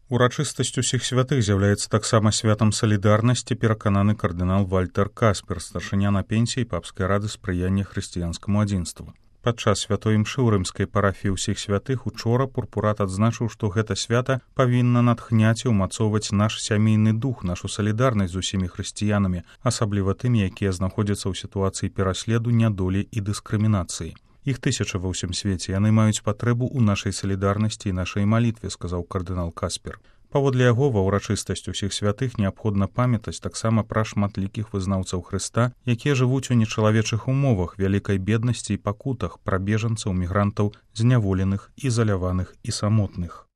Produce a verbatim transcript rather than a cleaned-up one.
Урачыстасць усіх святых з'яўляецца таксама святам салідарнасці, перакананы кардынал Вальтер Каспер, старшыня на пенсіі папскай рады спрыяння хрысціянскаму адзінству. Падчас святой імшы ў рымскай парафіі ўсіх святых учора пурпурат адзначыў, што гэта свята павінна натхняць і ўмацоўваць наш сямейны дух, нашу салідарнасць з усімі хрысціянамі, асабліва тымі, якія знаходзяцца ў сітуацыі пераследу, нядолі і дыскрымінацыі. Іх тысячы ва ўсім свеце, яны маюць патрэбу ў нашай салідарнасці і нашай малітве, сказаў кардынал Каспер. Паводле яго, ва ўрачыстасць усіх святых неабходна памятаць таксама пра шматлікіх вызнаўцаў Хрыста, якія жывуць у нечалавечых умовах, вялікай беднасці і пакутах, пра бежанцаў, мігрантаў, зняволеных, ізаляваных і самотных.